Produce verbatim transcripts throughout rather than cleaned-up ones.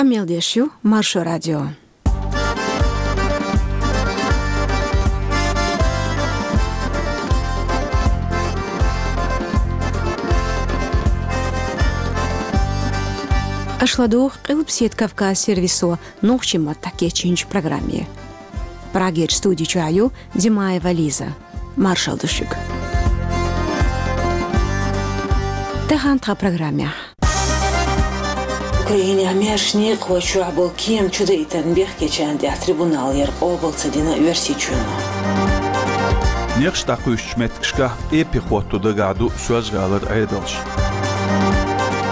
Къамел деш ю Маршо радио. Аша ладугӀу Къилбаседа Кавказ сервисо нохчийн маттахь кечйинчу программе. Прагерчу студи чохь ю Димаева Лиза. Маршалла ду шуьга. Тахана тхан программехь. Украинехь маьрша некъахой чохь болу кема чудаийтарна бехкечарна тӀехь трибунал яр къобал ца дина Оьрсийчоьно. Некъаш дӀакхуьйсучу меттигашкахь эппи хӀотто дагахь ду Соьлжа-ГӀалара Ӏедалш.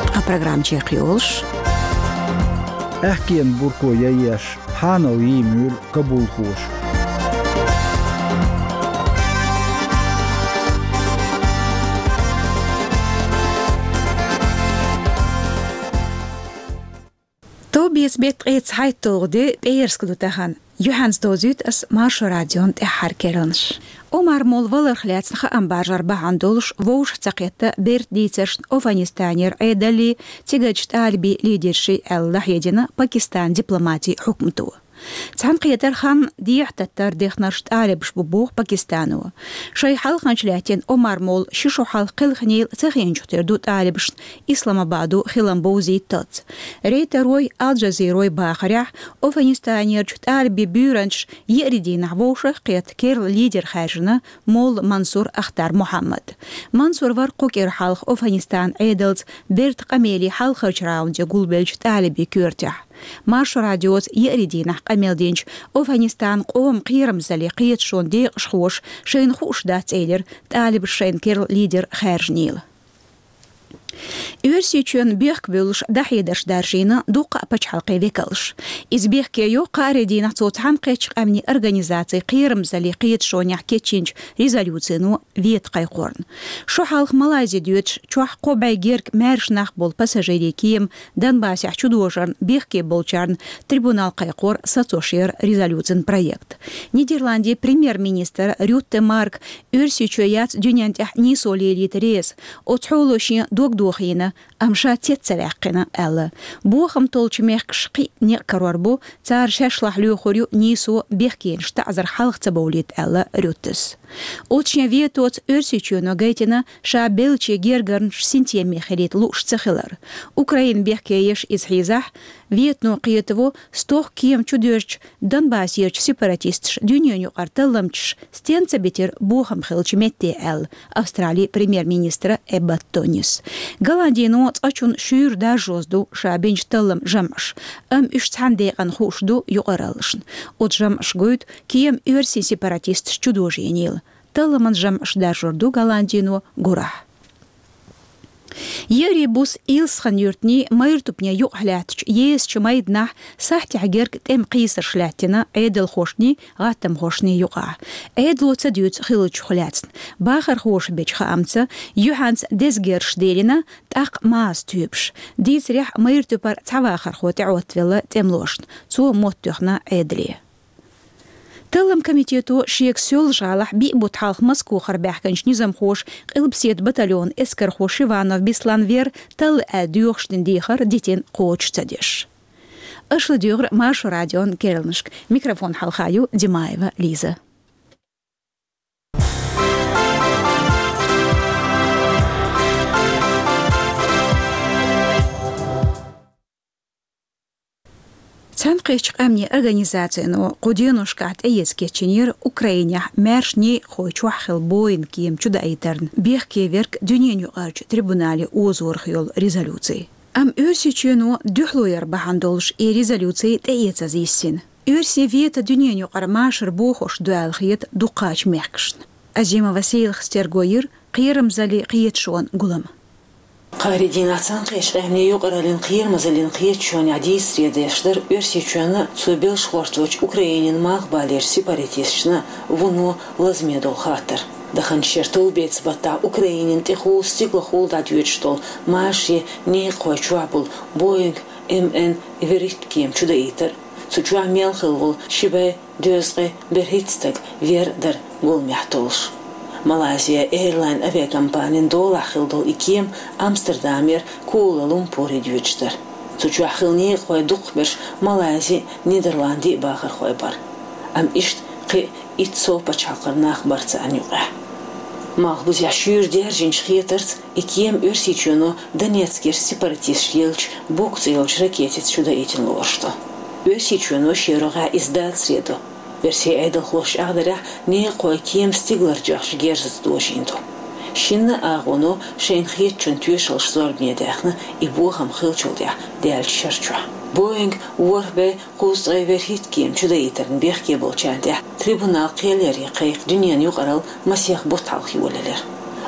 Тхан программа чекхйолуш. Аьхкенан бурко яйеш, хьанал йийр ю кабулхоша. Товбеца беттан ткъе цхьайтталгӀа де, пӀераска ду тахана. Юьхьанца довзуьйту ас Маршо радион тӀаьххьара керланаш. Омар-молла валарх лаьцна хаам бажар бахьана долуш вовшах ца кхетта бертан дийцаршна Афганистанера Ӏедаллий, цигарчу тӀалибийн лидерший аьлла, дӀахьедина Пакистанан дипломатийн хьукмато. Цхьаьнакхетар хан дехьа таттар дехнарш тӀалибаш бу боху Пакистано. Шайн хьалханча лаьттина Омар-молла ши шо хьалха кхелхинийла ца хиъначух тера ду тӀалибашна Исламабадо хилам бовзийталц. Рейтерой, Ал-Джазирой бахарехь, Афганистанерчу тӀалибийн буьйранчаш еарин дийнахь вовшах а кхетта керла лидер хаьржина молла Мансур Ахтар Мухьаммад. Мансур вара кху кӀира хьалха Афганистанан Ӏедалца бертан къамеле хьалхарчу раунде гулбеллачу тӀалибийн коьртехь. Маршо радиоца еарин дийнахь къамел динчу Афганистанан къоман кхерамзаллин кхеташонан декъашхоша шайна хууш дац элира тӀалибаша шайна керла лидер хаьржинийла. Оьрсийчоьнна бехк буьллуш дӀахьедарш даржийна дуккха а пачхьалкхийн векалша. Иза бехке йо кхаарин дийнахь цо Цхьаьнакхеттачу Къаьмнийн Организацин кхерамзаллин кхеташонехь кечйинчу резолюцино вето кхайкхорна. Шо хьалха Малайзи доьдуш чохь кхо бӀе герга маьрша нах болу пассажирийн кема Донбассехь чудожарна бехке болчарна трибунал кхайкхор сацош яра резолюцин проект. Нидерландийн премьер-министр Рютте Марк Оьрсийчоь яц дуьнен тӀехь нийсо лелийта реза, оцу хьоло шен дог дохийна, амма ша цец ца ваьккхина, аьлла. Бохам толлучу мехкаша кхин а некъ карор бу, цара шаьш лахь лоьхур ю нийсо бехкенаш таӀзар хьалха ца бовлийта, аьлла Рюттес. Оцу шен ветоца Оьрсийчоьно гайтина ша беллачийн гергарнаш синтеме хилийта лууш ца хилар. Украина бехке еш иза хьийзахь, ветано кхетаво, стохка кема чудоьжча, Донбассерчу сепаратисташа дуьненан юкъара талламчаш стенна ца битира бохам хиллачу метте, аьлла Австралийн премьер-министра Эббот Тонис. Голландино цкъачунна шуьйра даржоза ду ша бинчу талламан жамӀаш, амма уьш цхьана декъана хууш ду юкъараллашна. Оцу жамӀаша гойту, кема оьрсийн сепаратисташа чудожийнийла. Талламан жамӀаш даржор ду Голландино гурахь. Еарин буса Илсхан-юьртанний Майртупне юкъахь лаьттачу езачу майданахь сахьтехь герга тӀеман кхийсарш лаьттина Ӏедалхошний, гӀаттамхошний юкъахь. Ӏедало ца дуьйцу хиллачух лаьцна. Бахархоша бечу хаамца, юьхьанца деза герзаш дийлина, тӀаккха маза тоьпаш. Дийцарехь, Майртупара цхьа вахархо тӀеӀоттавелла тӀемалошна. Цо мотт тоьхна Ӏедале. Талламан комитето шега Соьлжа-ГӀалахь биъ бутт хьалха Москохара баьхкинчу низамхоша къилбаседа батальонан эскархо Шиванов Беслан вер талла аьлла доьхуш дина дехар дитина кхочуш ца деш. Аша ладуьйгӀира Маршо радион керланашка. Микрофон хьалха ю Димаева Лиза. Цхьаьнакхеттачу Къаьмнийн Организацино кху деношкахь тӀеэца кечйинера Украинехь маьрша некъахой чохь хилла Боинг кема чудаийтарна бехке верг дуьненан юкъарчу трибунале озорах йолу резолюци. Амма Оьрсийчоьно дуьхьало яр бахьана долуш и резолюци тӀеэцаза йиссина. Оьрсийн вето дуьненан юкъара машар бохош ду аьлла хета дукхачу мехкашна. Азимова Сейлхас терго йира кхерамзаллин кхеташонан гулам. Кхаарин дийнахь Цхьаьнакхеттачу Къаьмнийн юкъараллин кхерамзаллин кхеташонехь дийцаре деш дара Оьрсийчоьнна, цо белшахошталучу Украинин малхбалерчу сепаратисташна вуно лазаме долу хаттар. Даханчу шеран товбеца баттахь Украинина тӀехула стигалхула дӀадоьдуш долу машарийн некъахой чохь болу Боинг М Н итт кема чудаийтар, цу чохь мел хилла волу ши бӀе дезткъе берхӀитта стаг вер дара гуламехь толлуш. Малайзия Эйрлайн авиакомпанин долахь хилла долу и кема Амстердамера Куала-Лумпуре доьдуш дара. Цу чохь хилла некъахой дукхахберш Малайзи, Нидерланди бахархой бара. Амма иштта кхин итт сов пачхьалкхара нах бара царна юкъахь. Малхбузехь шуьйра даьржинчу хетарца, и кема Оьрсийчоьно Донецкера сепаратисташ еллачу Бук цӀе йолчу ракетица чудаийтина лоруш ду. Оьрсийчоьно шен рогӀехь иза дацаре до. Оьрсийн Ӏедалхоша чӀагӀдарехь, некъахой кема стигалара тоьхначу герзаца дожийна ду. Шинна а агӀоно шайна хетачун тоьшаллаш зорбане даьхна, и бохам хиллачул тӀаьхьа даьллачу шара чохь. Боинг ворхӀ бӀе кхузткъе ворхӀитта кема чудаийтарна бехке болчарна тӀехь трибунал кхел яран кхайкха дуьненан юкъаралла масех бутт хьалха йолаелира.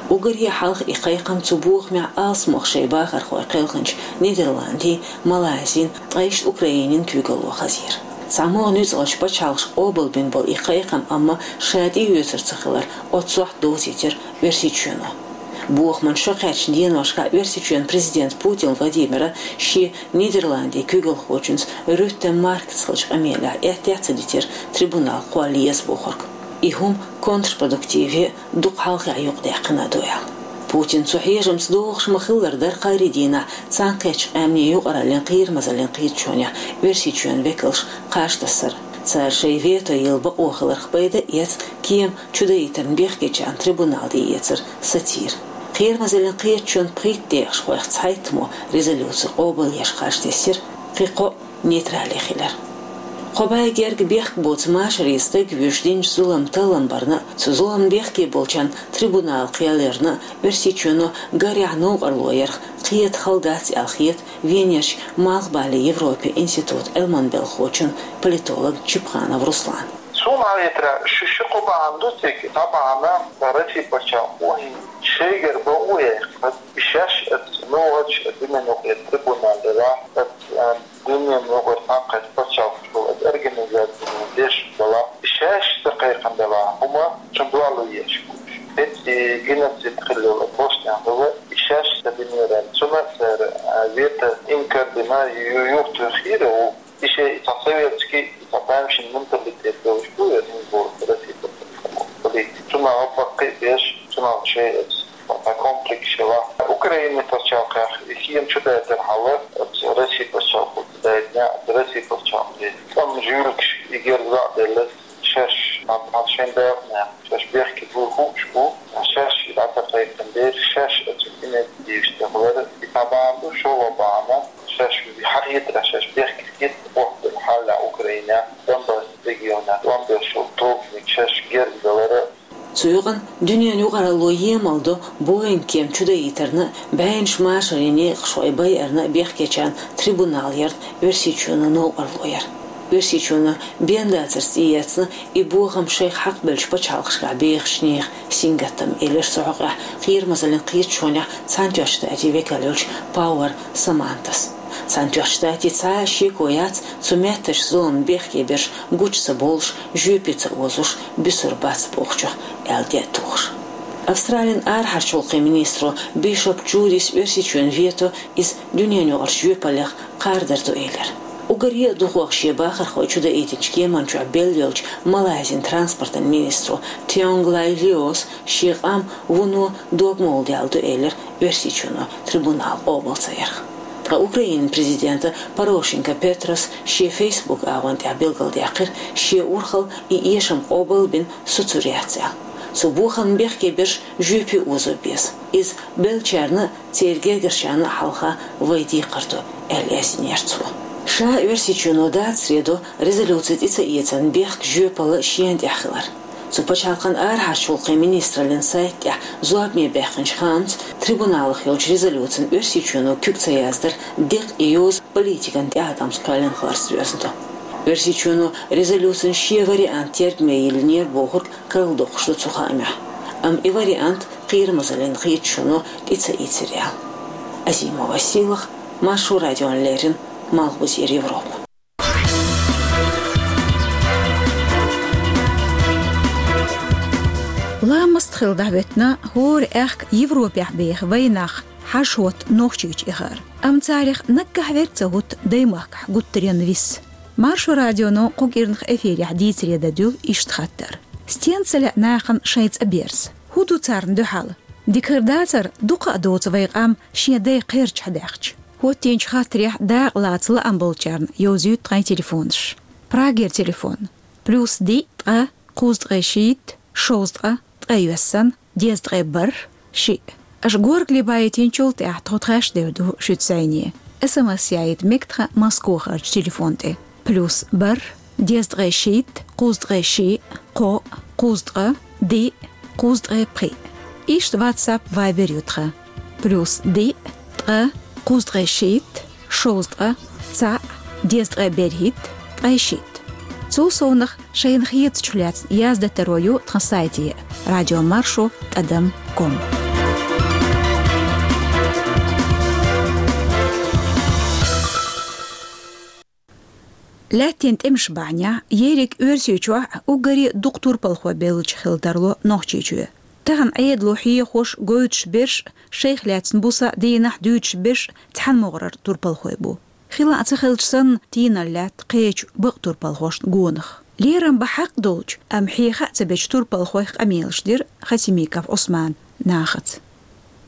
Уггаре хьалха и кхайкхам цу бохамехь алсамох шайн бахархой кхелхинчу Нидерландин, Малайзин, ткъа иштта Украинин куьйгалло хазийра. ЦхьамогӀа нуьцкъалчу пачхьалкхаша къобалбина болу и кхайкхам, амма ша тӀеоьцур ца хилар, оццохь довзийтира Оьрсийчоьно. Бохаман шо кхаьчначу деношкахь Оьрсийчоьнан президента Путин Владимира шен Нидерландийн куьйгалхочуьнца Рютте Маркца хиллачу къамелехь аьттехьа ца дитира трибунал кхолла еза бохург. И хӀума контрпродуктиве, дукха хьалхе юкъадаьккхина а ду аьлла. Путина цу хьежамца догӀуш ма-хиллара дара кхаарин дийнахь Цхьаьнакхеттачу Къаьмнийн Юкъараллин кхерамазаллин кхеташонехь Оьрсийчоьнан векалш кхаж тассар. Цара шайн вето йилла бакъо хиларх пайда а эцна, кема чудаийтарна бехкечарна трибунал тӀеэцар сацийра. Кхерамазаллин кхеташонан пхийтта декъашхойх цхьайттамо резолюци къобалъеш кхаж тесира, кхин кхоъ нейтрале хилира. Кхо бӀе гергга бехк боцу машаре стаг вуьйш динчу зуламан таллам барна а, цу зуламна бехке болчарна трибунал кхел ярна а Оьрсийчоьно гарехь новкъарло ярх кхета хала дац аьлла хета Венерчу Малхбален Европин институтан Ӏилманан белхахочун, политолог Чипханов Руслана. Суна хетарехь, шу ши-кхо бахьана ду цига. Цхьа бахьана, Россин пачхьалкхо шайгара бакъо яьккхина, и шаьш оцу муьлххачу дуьненаюкъарчу трибунал делахь, оцу, а, дуьненаюкъарчу цхьаьнакхеттачу пачхьалкхаш болу оцу организацина деш делахь, и шаьш ца кхайкхина делахь, хӀума шун дуьхьало еш бу уьш. ХӀинца и геноцид хилла йолу Боснехь хилла, и шаьш ца динера. Цунна а цара, а, вето инкар дина, ю-, юхатоьхира ву. И шен и цхьа советский, и цхьа тамашийна менталитет долуш ду, я хӀинца боху, Россия политика. Цунах гӀаппаккхий а беш, цунах шайн оцу цхьа комплекс хилла. Украинин пачхьалкхехь и кема чудайтархьама, оцу Россин пачхьалкхо ца дайтинехь, оцу Россин пачхьалкхан тӀеман жуьлташ и гергга а делла, шаьш, а, а, шайн дакъанехь, шаьш бехке буй хууш бу, шаьш и дӀа ца кхайкхина дела, шаьш оцу инициативаш тӀехь вара, и цхьа бахьана ду, шолгӀа бахьана, шаьш хьахетарехь, шаьш бехке хетта хӀоттаделла хьалха Украинехь, Донбасс регионехь, Донбасс йолу тобаниг шаьш гергга далара. Цу юкъана дуьненан юкъаралло емал до Боинг кема чудаийтарна а, бӀеннаш машарийн некъашхой байарна а бехкечарна трибунал ярна Оьрсийчоьно новкъарло яр. Оьрсийчоьно бен дацарца тӀеэцна и бохам шайх хьакхабеллачу пачхьалкхашкахь бехачу нехан сингаттам, элира цу хьокъехь кхерамазаллин кхеташонехь Цхьаьнатоьхначу Штатийн векал йолчу Пауэр Самантас. Цхьаьнатоьхначу Штатийн цхьа а шеко яц цу меттачу зуламна бехке берш гучу ца бовлуш, жоьпе ца озуш, буьсур бац бохучух, аьлла, де а тухуш. Австралин арахьарчу гӀуллакхийн министро Бишоп Джудис Оьрсийчоьнан вето иза дуьненаюкъарчу жоьпаллех кхардар ду элира. Уггаре а дукхох шен бахархой чудаийтинчу кеман чохь белла йолчу Малайзин транспортан министро Тионгглай Лиос шен къам вуно догмалла даьлла ду элира Оьрсийчоьно трибунал къобал ца ярх. Ткъа Украинин президента Порошенко Петрос шен Facebook агӀон тӀехь билгалдаьккхира, шен урхалла и эшам къобал а бина, суцур яц аьлла. Цу бохамна бехке берш жоьпе озо беза. Иза беллачарна а, церан гергарчарна а хьалха вайн декхар ду, аьлла, яздинера цо. Ша Оьрсийчоьно дацаре до резолюци тӀе ца эцарна бехк жоьпалла шена тӀехь хилар. Цу пачхьалкхан арахьарчу гӀуллакхийн министраллин сайта тӀехь зорбане баьхкинчу хаамца, трибуналах йолчу резолюцина Оьрсийчоьно куьг ца яздар декъа и йоза политикан тӀеӀаткъамца кхоьллина хиларца доьзна ду. Оьрсийчоьно резолюцин шен вариант тергаме йиллинера бохург карладоккхуш ду цу хаамехь. Амма и вариант кхерамазаллин кхеташоно тӀе ца ийцира аьлла. Азимова Сийлаха, Маршо радиона леррина, Малхбузера Европа. Ламаст хила дӀахӀоьттина хӀора аьхка Европехь беха вайнах хьажа хӀотта Нохчийчу эхар. Амма царах наггахь верг ца хӀутту даймахкахь гуттаренна вис. Маршо радионо кху кӀирнах эфирехь дийцаре дӀадуьллу иштта хаттар: «Стенна ца лаьа нахана шайн цӀа берза? ХӀун ду царна дуьхьал? Дика хир дацара, дукха а доцу вай къам шен дай кхерчахь даьхча». Хьоттийначу хаттарехь дакъа лаца лаам болчарна йовзуьйту тхайн телефонаш. Прагера телефон: плюс диъ, ткъа, кхузткъе шийтта, шовзткъа, ткъе йоьссан, дезткъе бархӀ, шиъ. Аша горгали байтинчул тӀаьхьа тхо тхаьш девр ду шуьца зӀене. СМС яйта мега тхан Москохарчу телефон тӀе: плюс бархӀ, дезткъе шийтта, кхузткъе шиъ, кхоъ, кхузткъа, диъ, кхузткъе пхиъ. Иштта WhatsApp, Viber ю тхан: плюс диъ, ткъа, кхузткъе шийтта, шовзткъа, цхьаъ, дезткъе берхӀитта, ткъе шийтта. Цул совнах шайна хетачух лаьцна яздатаро ю тхан сайте: радио маршо тӀадам ком. Лаьттан тӀемаш бахьанехь ерриг Оьрсийчохь уггаре дукха турпалхой беллачу хила тарло Нохчийчоь. Тахана Ӏедало хьехош, гойтуш берш, шайх лаьцна буса дийнахь дуьйцуш берш цхьана могӀарара турпалхой бу. Хила а ца хилча санна, тийналла лаьтта кхечу бакъ турпалхошна гонах. Лерам бан хьакъ долчу, амма хьеха а ца бечу турпалхойх къамелаш дира Хасимиков Ӏусманан нахаца.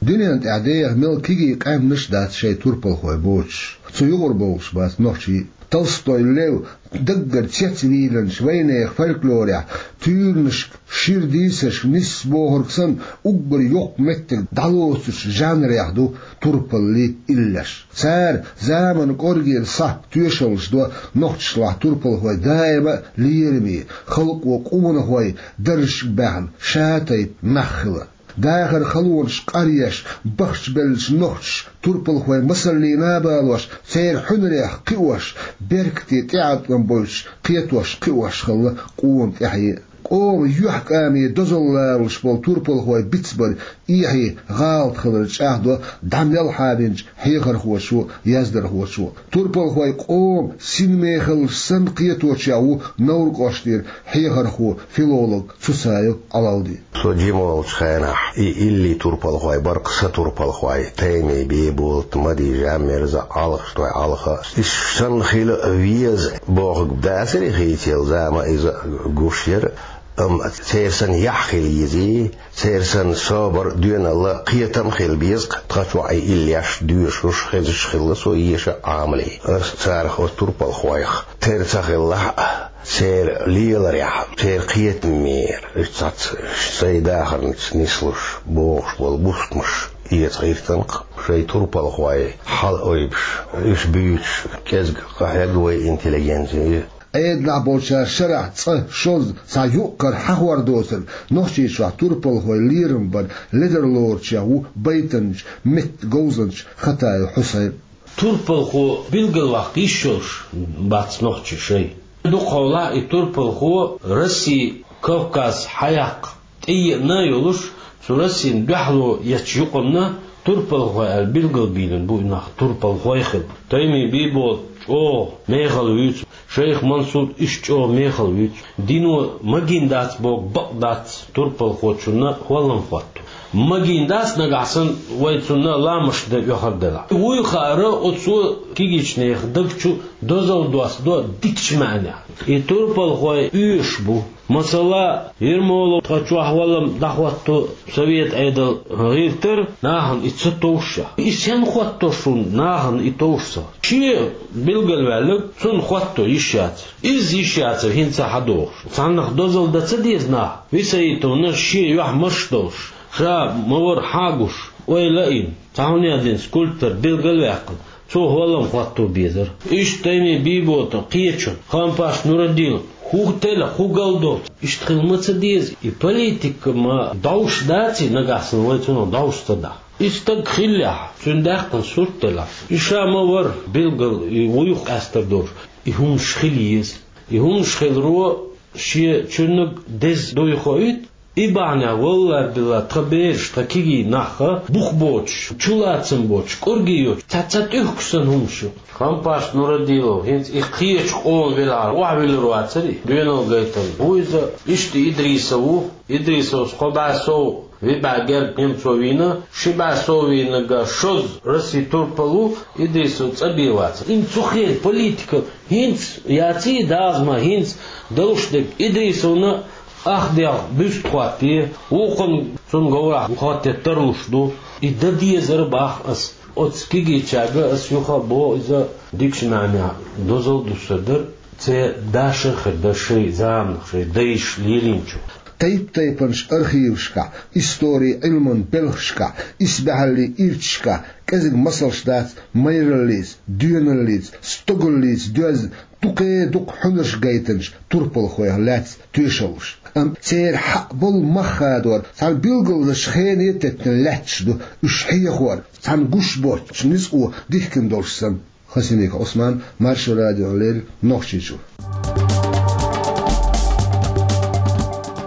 Дуьнен тӀехь деха мел кегий къаьмнаш а дац шайн турпалхой боцуш, цу юкъара бовлуш бац нохчий. Толстой Лев даггара цецвийлинчу вайнехан фольклорехь туьйранашка, шира дийцаршка нисса бохург санна, уггар йоккха меттиг дӀалоцучу жанрех ду турпаллий иллеш. Цара заманан кӀоргера сахьт тоьшаллаш до нохчашлахь турпалхой даима а лераме, халкъо къонахой даржашка баьхна, ша тайпа нах хила. Дахаран халонаш къаръеш, бахчабеллачу нохчаша турпалхой масаллина а балош, церан хьуьнарех кхиош, беркате тӀеӀаткъам бойтуш кхетош, кхиош хилла къона тӀаьхье а. Къоман юьхькӀаме дозалла лоруш болу турпалхой бицбар эхье, гӀалат хилар чӀагӀдо дӀа мел хьабинчу хьехархочо, яздархочо. Турпалхой къоман синмехаллаш санна кхеточех ву Невран кӀоштара хьехархо, филолог Цуцаев Ӏалалди. Со жима волчу хенахь и илли турпалхой бара-кх сан турпалхой: Тайми Бийболат, Мади Жаммирза, Ӏалхашной Ӏалха. Уьш санна хила веза бохург дацара хийцаелла, зама иза гуш яра, амма церан санна яхь хила езий, церан санна собар, доьналла, кхетам а хила беза-кх, тхан чохь и иллеш доьшуш, хезаш хилла со еша Ӏамале. Ас царах, оцу турпалхойх тера ца хилла а, церан леларехь, церан кхетамера, уьш цхьацца сайн дахарца нислуш богӀуш болу бустамаш эца гӀиртина-кх, шайн турпалхой хьала ойбуш, уьш буьйцуш кӀезиг къахьегна вай интеллигенци. Ӏедалахь болчара шарахь цкъа, шозза, цхьа юккъара хьахор доцург Нохчийчохь турпалхой лерам бар ледарлоручех ву байтанча, меттан говзанча Хатаев Хьусайн. Турпалхо билгалваккха йиш йолуш бац нохчий шайн. Дукхахьолахь и турпалхо Росси, Кавказ хьаяккха тӀееана а йолуш, цу Россин дуьхьало ечу юкъанна турпалхой аьлла билгалбийлина бу и нах, турпалхой хилла. Тайми Бийболат чӀогӀа мехала вуьйцу, шайх Мансур, уьш чӀогӀа мехала вуьйцу. Дино магийна дац боху бакъ дац турпалхочунна хӀоллам хӀотто. Магийна дац, нагахь санна вай цунна ламаз де оьхар делахь. Вуй хаара, оцо кегийчу нехан даг чу дозалла доссадо дикачу маьӀнехь. И турпалхой оьшуш бу. Масала, Ермолов тхан чохь хӀоллам дӀахӀотто совет Ӏедал гӀиртара, нахана и ца товшшехь. И сенна хӀотто шуна, нахана и товш ца? Шен билгалваьлларг цунна хӀотто йиш яцара. Иза йиш яцара хӀинца хьадогӀуш. Цхьаннах дозалла дан ца деза нах, Висаитовна шен юьхь марш долуш, ша ма вара хьагуш, ойла а йина, цхьа хӀун яздина скульптор билгалваьккхина, цо хӀоллам хӀотто безара. Иштта Тайми Бийболатан кхечун, Хампаш Нурадилов, хӀун тела, хӀун гал долчу, иштта хила ма ца деза. И политика ма дӀовш даций, нагахь санна вай цунах дӀовш ца дахь. И стаг хиллехь, цуьнан даьккхина сурт делахь, и ша ма вара билггал и вуй къаьстар долуш, и хӀуманаш хила еза. И хӀуманаш хиларо шен чуьннаг деза дуй хоуьйту, и бахьанехь, валлай-биллай, тхан бераш, тхан кегий нах а бух боцуш, чулацам боцуш, кӀорге йоцуш, цхьа ца тӀуьхкуш санна хӀуманаш ю. Хампаш Нурадилов хӀинца и кхечу къоман велахьара охьавуьллур вацара и, доьналла гайтина ву иза, иштта Идрисов ву, Идрисовс кхо бӀе сов, виъ бӀе герга немцо вийна, ши бӀе сов вийнарг шозза Россин турпал ву, Идрисов цӀа бен вацара. Ин цу хенан политика хӀинца яций, дазма хӀинца далуш дерг Идрисовна ах дегӀ буьст хӀоттае, вукхунна цунна говрахь хӀоттае тарлуш ду. И дан дезара бах ас. Оцу кегийчаьрга ас юха а боху, иза дикачу маьӀнехь дозалла ду сан дар, церан дашар хир дара шайн заманах, шайн дайша лелийначух. Тайп-тайпанчу архивашкахь, историн Ӏилманан белхашкахь, исбаьхьаллин ирчашкахь кӀезиг масалш дац майраллица, доьналлица, стогаллица доьзна, дукха-дукха хьуьнарш гайтинчу турпалхойх лаьцна тоьшаллаш. Амма церан хьаъ болу мах хадор цхьана билгалзачу хене теттина лаьтташ ду уьш хьехор, цхьана гуш боцчу ницкъо дихкина долуш санна. Хасимиков Ӏусман, Маршо радиона леррина, Нохчийчуьра.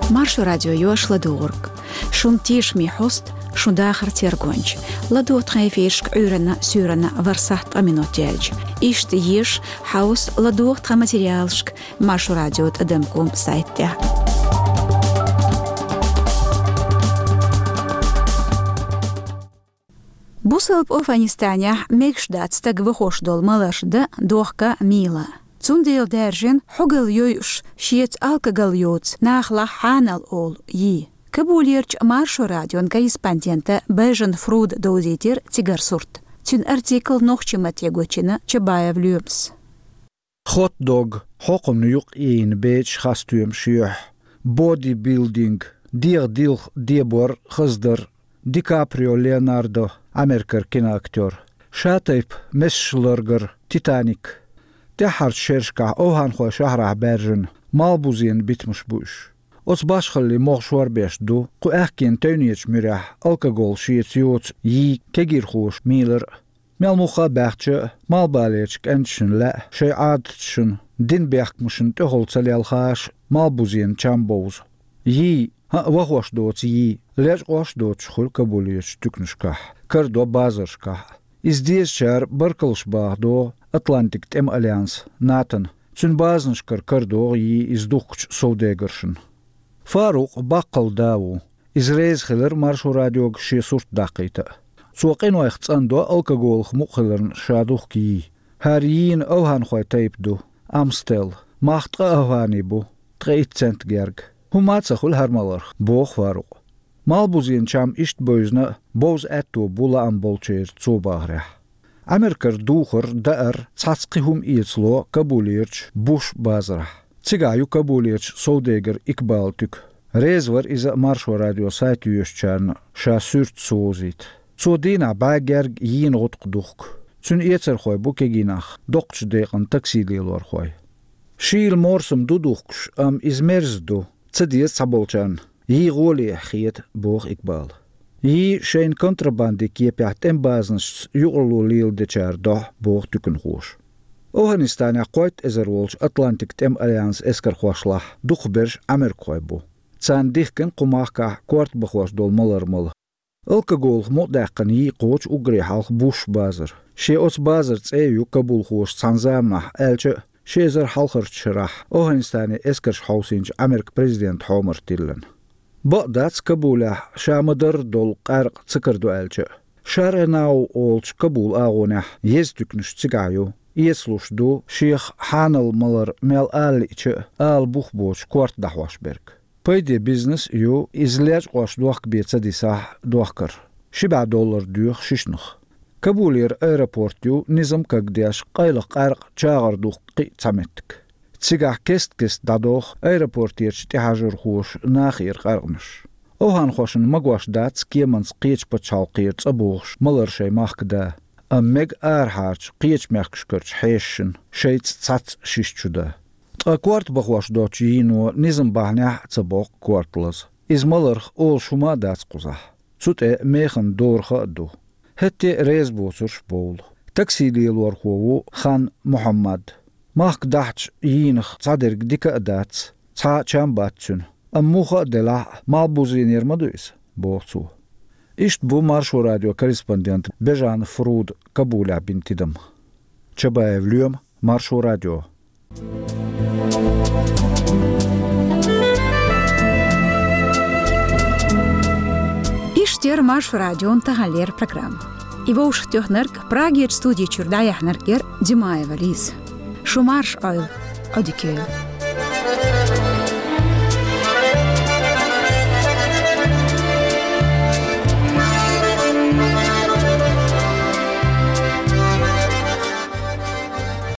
Маршо радио йош ладугӀург. Шун тешаме хьоста, шун дахар тергонча. ЛадогӀа тхан эфирашка Ӏуьйранна, суьйранна ворхӀ сахьт ткъа минот яьлча. Иштта еша, хьовса, ладогӀа тхан материалашка Маршо радио тӀадам ком сайта тӀехь. Бусалба Афганистанехь мегаш дац стаг вахош долу маларш дан, дохка, мийла. Цундела даьржина хьогалла йойуш, шеца алкоголь йоцу нахалахь хьанал олу йий. Кабулерчу Маршо радион корреспондента Бежан Фруда довзийтира цигара сурт. Цуьнан артикл нохчийн матте гочйина Чабаев Лоьмас. Хот-дог, хьокхамна юкъ йийна бечаш, хас стоьмаш юьхь, бодибилдинг, дегӀан дилха дебор, хаздар, Ди Каприо Леонардо, Америкара киноактёр, шатайпа месаш ларгар, Титаник. ТӀаьххьарчу шерашкахь овхӀанхойн шахьарахь баьржина малхбузенан битамаш бу уьш. Оцу башхаллин могӀа шорбеш ду кху аьхкенан тевнечу муьрехь алкоголь шеца йоцу йий кегийрхоша мийлар а. Мел муха а баьхча, малхбалерчу кӀенташна лаьа шайн Ӏадаташна, динан бехкамашна тӀехула ца лелхаш, малхбузенан чам бовза. Йий, хӀаъ, вахош доцу йий, лечкъош а доцуш хуьлу Кабулерчу туьканашкахь, карадо базаршкахь а. Иза дезачара баркаллаш баха догӀу Атлантикан тӀеман альянс, натона. Цуьнан базанашкара карадогӀу йий иза духкучу совдегаршна. Фарукъ баккхалла да ву. Иза реза хилира Маршо радиога шен сурт даккхийта а. Цо къинойх цӀандо алкоголах мукъа хиларна ша духку йий. ХӀара йийна овхӀанхойн тайпа ду: Амстел. Мах ткъа овхӀан бу, ткъе итт цент герга. ХӀумма а ца хуьлу хӀара маларх, боху Фарукъа. Малхбузенан чам иштта бевзина а, бовза аьтто бу лаам болчеран, цо бахарехь. Америкара духар, даар, цхьацца кхин хӀума эцало Кабулерчу Буш базарахь. Цигахь ю Кабулерчу совдегара Икбалан туька. Реза вара иза Маршо радион сайт йоьшучарна ша суьрташ совзийта. Цо дийнахь бӀе герга йийна гӀутакх духку. Цуьнан эцархой бу кегий нах, доккхачу декъана такси лелорхой. Шийла морсам ду духкуш, амма иза мерза ду, ца деза цхьаболчарна, йий гӀоле хета, боху Икбала. Йий шайна контрабандин кепехь тӀеман базанашца юкъаралла леладечара дохьу, боху туьканхоша. ОвхӀанистанехь кхойтта эзар волчу Атлантикан тӀеман альянсан эскархошлахь дукхахберш америкахой бу. Царна дихкина кху махкахь корта бахош долу малар мала. Алкоголах мукъадаьккхина йий кхочу уггаре хьалха Буш базар. Шен оцу базаран цӀе а ю кабулхоша цхьана заманахь, аьлча а, ши эзар хьалхарчу шарахь ОвхӀанистанера эскарш хьовсийначу Американ президентан хьомара тиллина. Бакъ дац, Кабулехь ша ма-дарра долу къаьркъа ца карадо аьлча а. Шаренау олучу Кабулан агӀонехь еза туьканаш цигахь ю, эцалуш ду шех хьанал малар мел ала лиъча а, ала бух боцуш корта дӀахьош берг. Пайде бизнес а ю, иза лечкъош дохка бен ца дисахь, дохкар. Ши бӀе доллар доьху шишнах. Кабулера аэропорт ю низам кагдеш, къайлаха къаьркъа чагӀар духку кхин а цхьа меттиг. Цигахь кест-кеста дӀадоху аэропортерчу тӀехьажархоша нахера къаьркъанаш. ОвхӀанхошна магош дац кеманца кхечу пачхьалкхера цӀа бохуш малар шайн махка дан, амма мега арахьарчу кхечу мехкашкарчу хьешашна шайца цхьацца шиша чу дан. Ткъа корта бахош доцучу йийно низам бахьанехь а ца боккху корта лаза. Иза маларх олуш хӀума а дац кхузахь. Цу тӀе механа дораха а ду. ХӀетте а реза боцурш бовлу. Такси лелорхо ву Хан Мухьаммад. Махка дахьачу йийнах цхьадерг дика а дац, цхьа а чам бац цуьнан. Амма муха а делахь а, малхбузенера ма ду иза, боху цо. Иштта бу Маршо радион корреспондент Бежан Фруда Кабулехь бина тидам. Чабаев Лоьма, Маршо радио. Иштта яра Маршо радион таханлера программа. И вовшахтоьхнарг, Прагерчу студи чуьра дӀаяьхьнарг яра Димаева Лиза. Шу марша Ӏойла, Ӏодика йойла.